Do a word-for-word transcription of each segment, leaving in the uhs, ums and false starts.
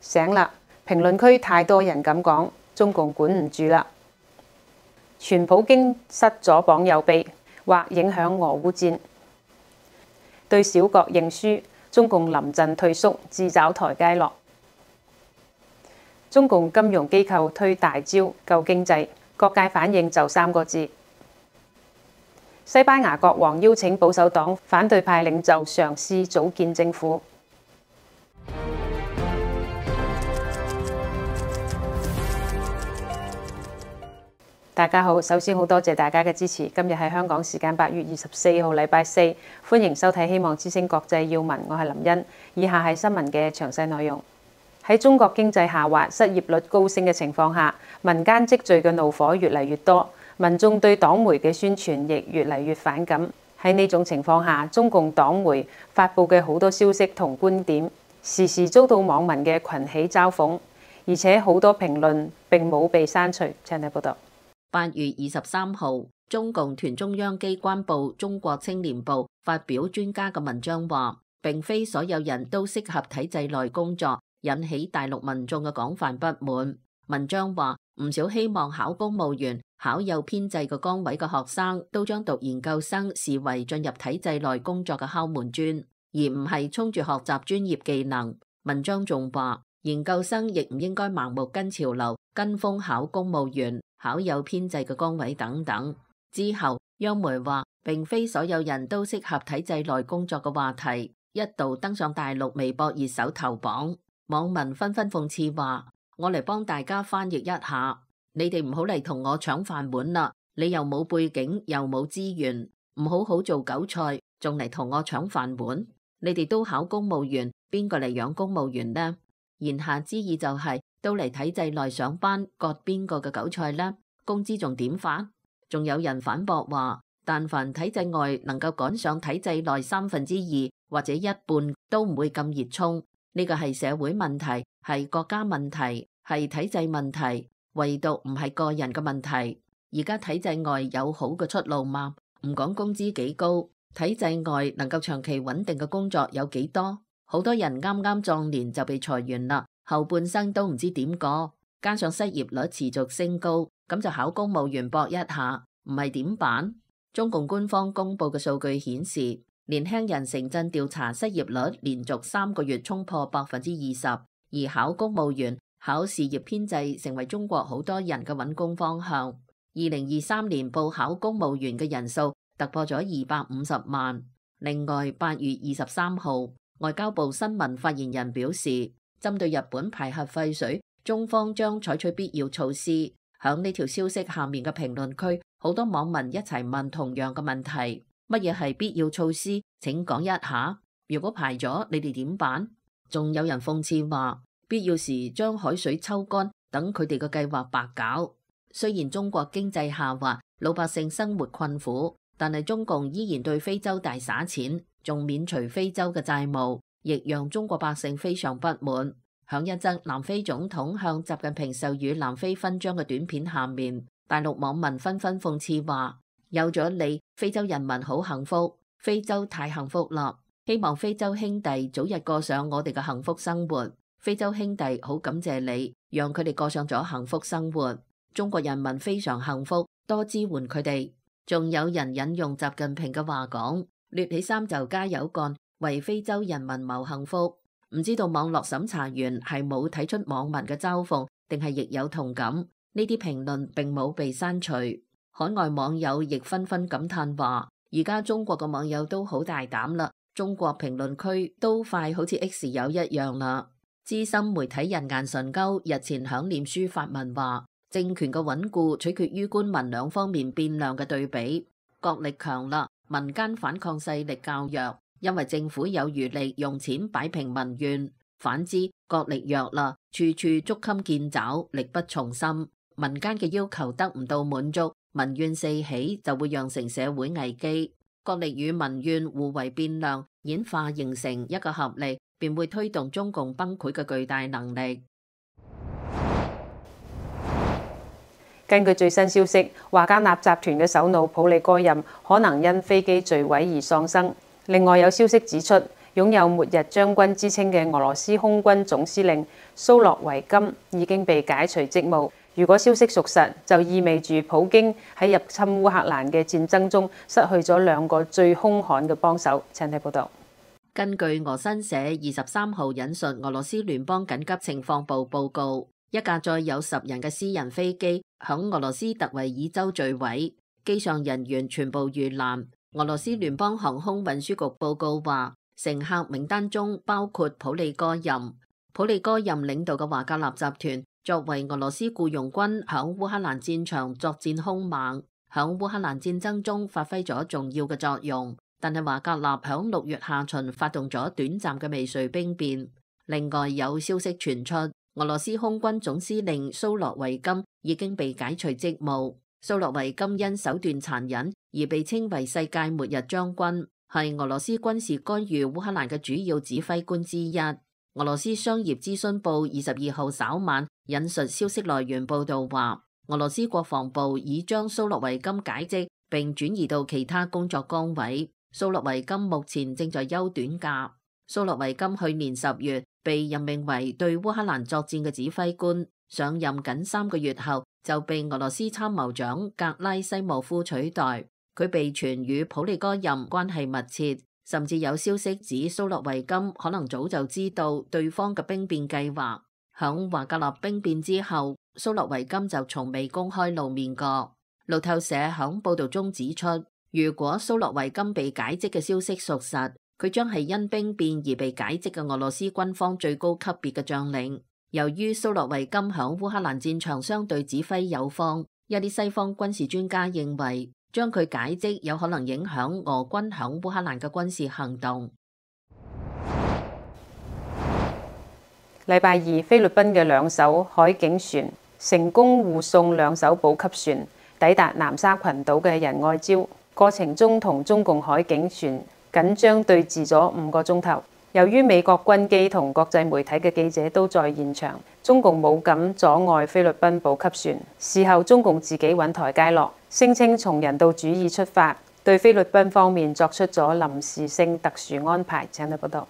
醒啦！評論區太多人咁講，中共管唔住啦。傳普京失咗榜右臂，或影響俄烏戰。對小國認輸，中共臨陣退縮，自找台階落。中共金融機構推大招救經濟，各界反應就三個字。西班牙國王邀請保守黨反對派領袖嘗試組建政府。大家好，首先好多謝大家嘅支持。今日係香港時間八月二十四號，禮拜四，歡迎收睇希望之聲國際要聞，我係林茵。以下係新聞嘅詳細內容。喺中國經濟下滑、失業率高升嘅情況下，民間積聚嘅怒火越嚟越多，民眾對黨媒嘅宣傳亦越嚟越反感。喺呢種情況下，中共黨媒發布嘅好多消息同觀點，時時遭到網民嘅群起嘲諷，而且好多評論並冇被刪除。請睇報道。八月二十三號，中共團中央機關報《中國青年報》發表專家嘅文章話，並非所有人都適合體制內工作，引起大陸民眾嘅廣泛不滿。文章話，唔少希望考公務員、考有編制嘅崗位嘅學生，都將讀研究生視為進入體制內工作嘅敲門磚，而唔係衝住學習專業技能。文章仲話，研究生亦唔應該盲目跟潮流，跟風考公務員、考有編制嘅崗位等等。之後，央媒話並非所有人都適合體制內工作嘅話題一度登上大陸微博熱搜頭榜，網民紛紛諷刺話：我嚟幫大家翻譯一下，你哋唔好嚟同我搶飯碗啦！你又冇背景，又冇資源，唔好好做韭菜，仲嚟同我搶飯碗？你哋都考公務員，邊個嚟養公務員呢？言下之意就係、是、都嚟體制內上班，割邊個嘅韭菜呢？工資仲點發？仲有人反駁話，但凡體制外能夠趕上體制內三分之二或者一半，都唔會咁熱衷。呢個係社會問題，係國家問題，係體制問題，唯獨唔係個人嘅問題。而家體制外有好嘅出路嗎？唔講工資幾高，體制外能夠長期穩定嘅工作有幾多？好多人啱啱壯年就被裁員啦，後半生都唔知點過，加上失業率持續升高，咁就考公務員搏一下，唔係點辦？中共官方公布嘅數據顯示，年輕人城鎮調查失業率連續三個月衝破百分之二十，而考公務員、考事業編制成為中國好多人嘅揾工方向。二零二三年報考公務員嘅人數突破咗二百五十萬。另外，八月二十三號，外交部新聞發言人表示，針對日本排核廢水，中方將採取必要措施。響呢條消息下面嘅評論區，好多網民一齊問同樣嘅問題：乜嘢係必要措施？請講一下。如果排咗，你哋點辦？仲有人諷刺話，必要時將海水抽乾，等佢哋嘅計劃白搞。雖然中國經濟下滑，老百姓生活困苦，但係中共依然對非洲大灑錢，仲免除非洲嘅債務，亦讓中國百姓非常不滿。響一則南非總統向習近平授予南非勳章嘅短片下面，大陸網民紛紛諷刺話：有咗你，非洲人民好幸福，非洲太幸福啦！希望非洲兄弟早日過上我哋嘅幸福生活。非洲兄弟好感謝你，讓佢哋過上咗幸福生活。中國人民非常幸福，多支援佢哋。仲有人引用習近平嘅話講：掠起衫就加油幹，為非洲人民謀幸福。唔知道網絡審查員係冇睇出網民嘅嘲諷，定係亦有同感？呢啲評論並冇被刪除。海外網友亦紛紛感嘆話：而家中國嘅網友都好大膽啦，中國評論區都快好似 X 友一樣啦。資深媒體人顏純鈎日前響臉書發文話：政權嘅穩固取決於官民兩方面變量嘅對比，國力強啦，民間反抗勢力較弱。因為政府有餘力用錢擺平民怨，反之國力弱啦，處處捉襟見肘，力不從心，民間嘅要求得唔到滿足，民怨四起，就會釀成社會危機。國力與民怨互為變量，演化形成一個合力，便會推動中共崩潰嘅巨大能力。根據最新消息，華格納集團嘅首腦普利戈任可能因飛機墜毀而喪生。另外有消息指出，擁有末日將軍之稱嘅俄羅斯空軍總司令蘇洛維金已經被解除職務。如果消息屬實，就意味住普京喺入侵烏克蘭嘅戰爭中失去咗兩個最兇悍嘅幫手。請睇報道。根據俄新社二十三號引述俄羅斯聯邦緊急情況部報告，一架載有十人嘅私人飛機響俄羅斯特維爾州墜毀，機上人員全部遇難。俄羅斯聯邦航空運輸局報告話，乘客名單中包括普利戈任。普利戈任領導嘅華格納集團作為俄羅斯僱傭軍響烏克蘭戰場作戰兇猛，響烏克蘭戰爭中發揮咗重要嘅作用。但係華格納響六月下旬發動咗短暫嘅未遂兵變。另外有消息傳出，俄羅斯空軍總司令蘇洛維金已經被解除職務。蘇洛維金因手段殘忍而被稱為世界末日將軍，係俄羅斯軍事干預烏克蘭嘅主要指揮官之一。俄羅斯商業諮詢報二十二號稍晚引述消息來源報道話，俄羅斯國防部已將蘇洛維金解職並轉移到其他工作崗位。蘇洛維金目前正在休短假。蘇洛維金去年十月被任命為對烏克蘭作戰嘅指揮官，上任僅三個月後就被俄羅斯參謀長格拉西莫夫取代。佢被傳與普利戈任關係密切，甚至有消息指蘇洛維金可能早就知道對方嘅兵變計劃。響華格納兵變之後，蘇洛維金就從未公開露面過。路透社響報道中指出，如果蘇洛維金被解職嘅消息屬實，佢將係因兵變而被解職嘅俄羅斯軍方最高級別嘅將領。由於蘇洛維金響烏克蘭戰場相對指揮有方，一啲西方軍事專家認為將佢解職有可能影響俄軍響烏克蘭嘅軍事行動。禮拜二，菲律賓嘅兩艘海警船成功護送兩艘補給船抵達南沙群島嘅仁愛礁。過程中同中共海警船緊張對峙咗五個鐘頭。由於美國軍機同國際媒體嘅記者都在現場，中共冇敢阻礙菲律賓補給船。事後中共自己揾台階落，聲稱從人道主義出發，對菲律賓方面作出咗臨時性特殊安排。請睇報道。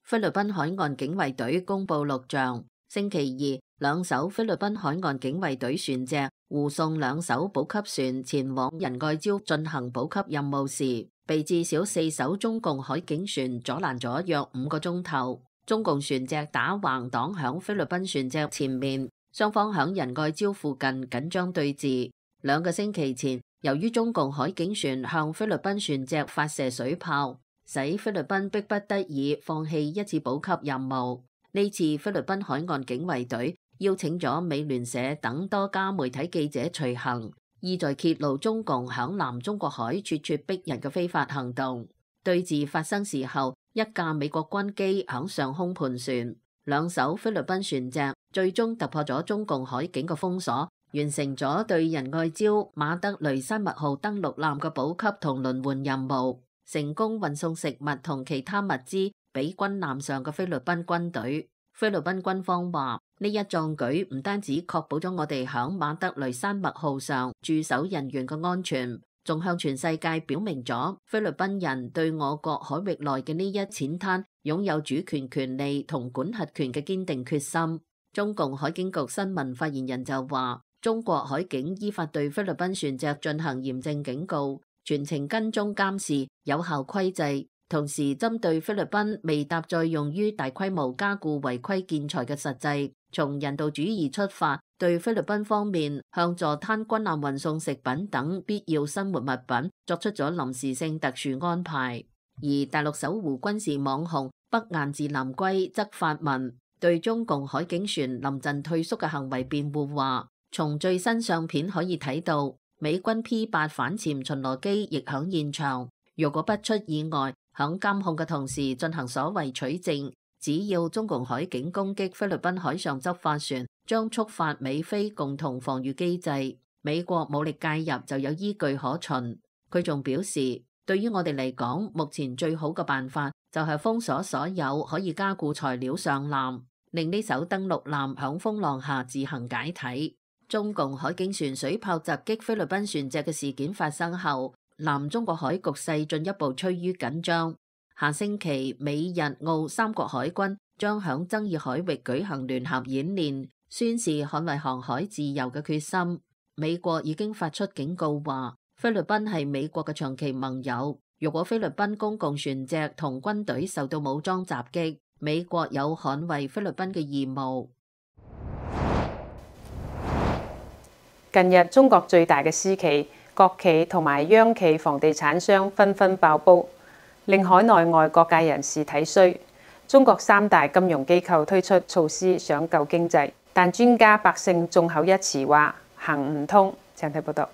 菲律賓海岸警衛隊公布錄像，星期二兩艘菲律賓海岸警衛隊船隻護送兩艘補給船前往仁愛礁進行補給任務時，被至少四艘中共海警船阻攔咗約五個鐘頭。中共船隻打橫擋響菲律賓船隻前面，雙方響仁愛礁附近緊張對峙。兩個星期前，由於中共海警船向菲律賓船隻發射水炮，使菲律賓迫不得已放棄一次補給任務。呢次菲律賓海岸警衛隊邀請咗美聯社等多家媒體記者隨行，意在揭露中共響南中國海咄咄逼人嘅非法行動。對峙發生時候，一架美國軍機響上空盤旋，兩艘菲律賓船隻最終突破咗中共海警嘅封鎖，完成咗對仁愛礁馬德雷山脈號登陸艦嘅補給同輪換任務，成功運送食物同其他物資俾軍艦上嘅菲律賓軍隊。菲律賓軍方話，呢一壯舉唔單止確保咗我哋響馬德雷山脈號上駐守人員嘅安全，仲向全世界表明咗菲律賓人對我國海域內嘅呢一淺灘擁有主權權利同管轄權嘅堅定決心。中共海警局新聞發言人就話，中國海警依法對菲律賓船隻進行嚴正警告，全程跟蹤監視，有效規制。同時針對菲律賓未搭載用於大規模加固違規建材嘅實際，從人道主義出發，對菲律賓方面向坐灘軍艦運送食品等必要生活物品作出咗臨時性特殊安排。而大陸守護軍事網紅北雁字南歸則發文對中共海警船臨陣退縮嘅行為辯護，話從最新相片可以睇到，美軍 P 八反潛巡邏機亦響現場，如果不出意外，響監控嘅同時進行所謂取證，只要中共海警攻擊菲律賓海上執法船，將觸發美菲共同防禦機制，美國武力介入就有依據可循。佢仲表示，對於我哋嚟講，目前最好嘅辦法就係封鎖所有可以加固材料上艦，令呢艘登陸艦響風浪下自行解體。中共海警船水炮襲擊菲律賓船隻嘅事件發生後，南中國海局勢進一步趨於緊張。下星期美日澳三國海軍將響爭議海域舉行聯合演練，宣示捍衛航海自由嘅決心。美國已經發出警告話，菲律賓係美國嘅長期盟友，如果菲律賓公共船隻同軍隊受到武裝襲擊，美國有捍衛菲律賓嘅義務。近日，中國最大嘅私企、國企同埋央企房地產商紛紛爆煲，令海內外各界人士睇衰。中國三大金融機構推出措施想救經濟，但專家百姓眾口一詞話行唔通。請睇報道。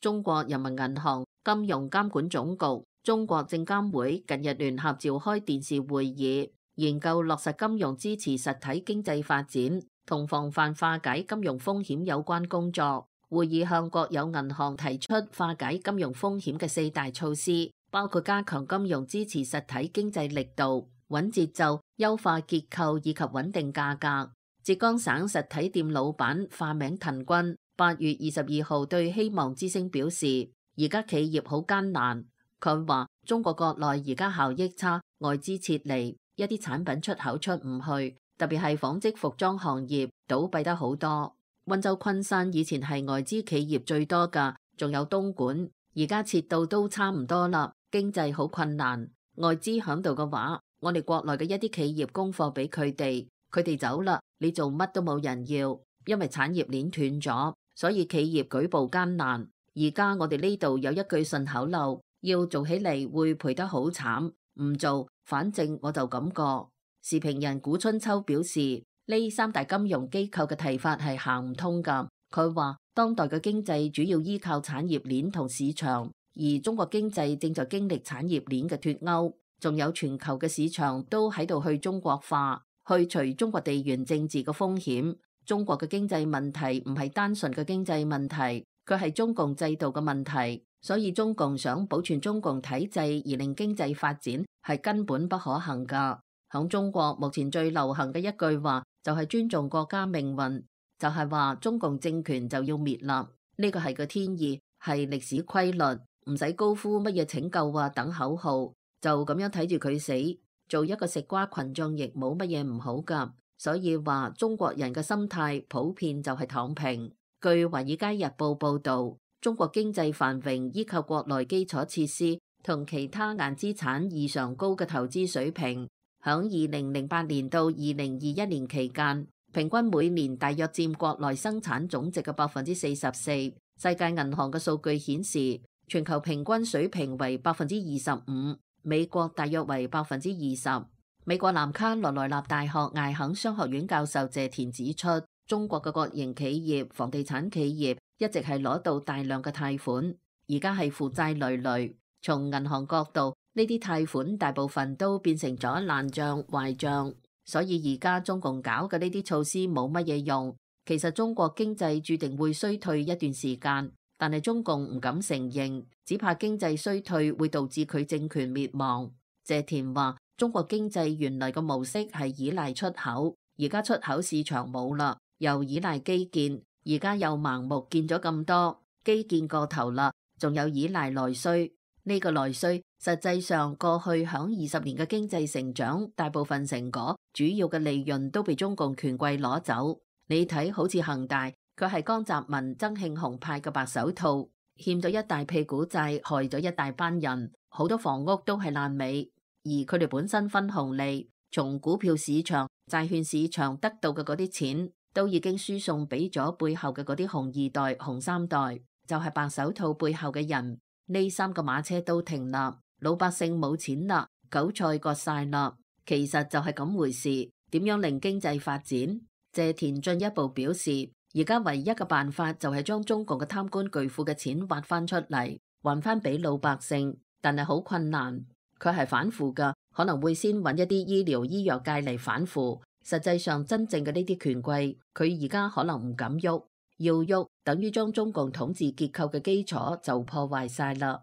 中國人民銀行、金融監管總局、中國證監會近日聯合召開電視會議，研究落實金融支持實體經濟發展同防範化解金融風險有關工作。會議向國有銀行提出化解金融風險嘅四大措施，包括加強金融支持實體經濟力度、穩節奏、優化結構以及穩定價格。浙江省實體店老闆化名滕軍八月二十二號對希望之聲表示，而家企業好艱難。佢話中國國內而家效益差，外資撤離，一啲產品出口出唔去，特別係紡織服裝行業倒閉得好多。溫州昆山以前係外資企業最多㗎，仲有東莞，而家撤到都差唔多啦，經濟好困難。外資響度嘅話，我哋國內嘅一啲企業供貨俾佢哋，佢哋走啦，你做乜都冇人要，因為產業鏈斷咗，所以企業舉步艱難。而家我哋呢度有一句順口溜，要做起嚟會賠得好慘，唔做反正我就咁過。時評人古春秋表示，呢三大金融機構嘅提法係行唔通㗎。佢話當代嘅經濟主要依靠產業鏈同市場，而中國經濟正在經歷產業鏈嘅脫鈎，仲有全球嘅市場都喺度去中國化，去除中國地緣政治嘅風險。中國嘅經濟問題唔係單純嘅經濟問題，佢係中共制度嘅問題。所以中共想保存中共體制而令經濟發展係根本不可行㗎。響中國目前最流行嘅一句話就係尊重國家命運，就係話中共政權就要滅啦。呢個係個天意，係歷史規律，唔使高呼乜嘢拯救啊等口號，就咁樣睇住佢死。做一個食瓜群眾亦冇乜嘢唔好噶。所以話中國人嘅心態普遍就係躺平。據《華爾街日報》報道，中國經濟繁榮依靠國內基礎設施同其他硬資產異常高嘅投資水平。響二零零八年到二零二一年期間，平均每年大約佔國內生產總值嘅百分之四十四。世界銀行嘅數據顯示，全球平均水平為百分之二十五，美國大約為百分之二十。美國南卡羅來納大學艾肯商學院教授謝田指出，中國嘅國營企業、房地產企業一直係攞到大量嘅貸款，而家係負債累累。從銀行角度，呢啲貸款大部分都變成咗爛賬壞賬，所以而家中共搞嘅呢啲措施冇乜嘢用。其實中國經濟注定會衰退一段時間，但係中共唔敢承認，只怕經濟衰退會導致佢政權滅亡。謝田話，中國經濟原來嘅模式係依賴出口，而家出口市場冇啦，又依賴基建，而家又盲目建咗咁多基建過頭啦，仲有依賴內需。呢個內需實際上過去響二十年嘅經濟成長，大部分成果主要嘅利潤都被中共權貴攞走。你睇好似恒大，佢係江澤民、曾慶紅派嘅白手套，欠咗一大屁股債，害咗一大班人，好多房屋都係爛尾。而佢哋本身分紅利，從股票市場、債券市場得到嘅嗰啲錢，都已經輸送俾咗背後嘅嗰啲紅二代、紅三代，就係白手套背後嘅人。呢三個馬車都停啦，老百姓冇錢啦，韭菜割晒啦。其實就係咁回事。點樣令經濟發展？謝田進一步表示，而家唯一嘅辦法就係將中共嘅貪官巨富嘅錢挖翻出嚟，還翻俾老百姓，但係好困難。佢係反腐噶，可能會先揾一啲醫療醫藥界嚟反腐。實際上真正嘅呢啲權貴，佢而家可能唔敢喐。要喐，等於將中共統治結構嘅基礎就破壞晒啦。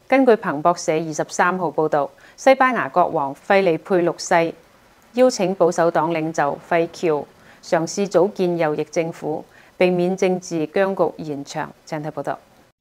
根據彭博社二十三號報導，西班牙國王費利佩六世邀請保守黨領袖費喬嘗試組建右翼政府，避免政治僵局延長。請睇報導。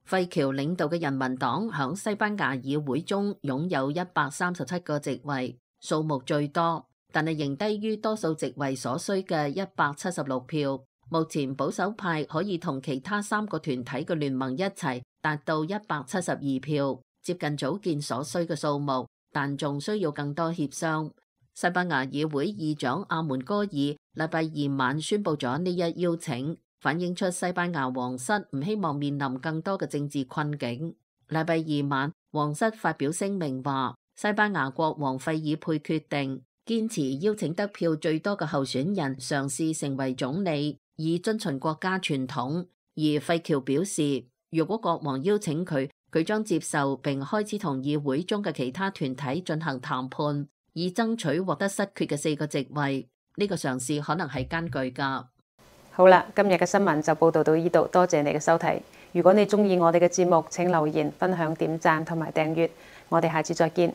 費喬領導嘅人民黨響西班牙議會中擁有一百三十七個席位，數目最多，但係仍低於多數席位所需嘅一百七十六票。目前保守派可以同其他三個團體嘅聯盟一齊達到一百七十二票，接近組建所需嘅數目，但仲需要更多協商。西班牙議會議長阿門哥爾禮拜二晚宣布咗呢一邀請，反映出西班牙皇室唔希望面臨更多嘅政治困境。禮拜二晚，皇室發表聲明話，西班牙國王費爾佩決定堅持邀請得票最多嘅候選人嘗試成為總理，以遵循國家傳統。而費喬表示，如果國王邀請佢，佢將接受並開始同議會中嘅其他團體進行談判，以爭取獲得失缺嘅四個席位。呢個嘗試可能係艱巨㗎。好啦，今日嘅新聞就報道到呢度，多謝你嘅收睇。如果你鍾意我哋嘅節目，請留言、分享、點讚同埋訂閱。我哋下次再見。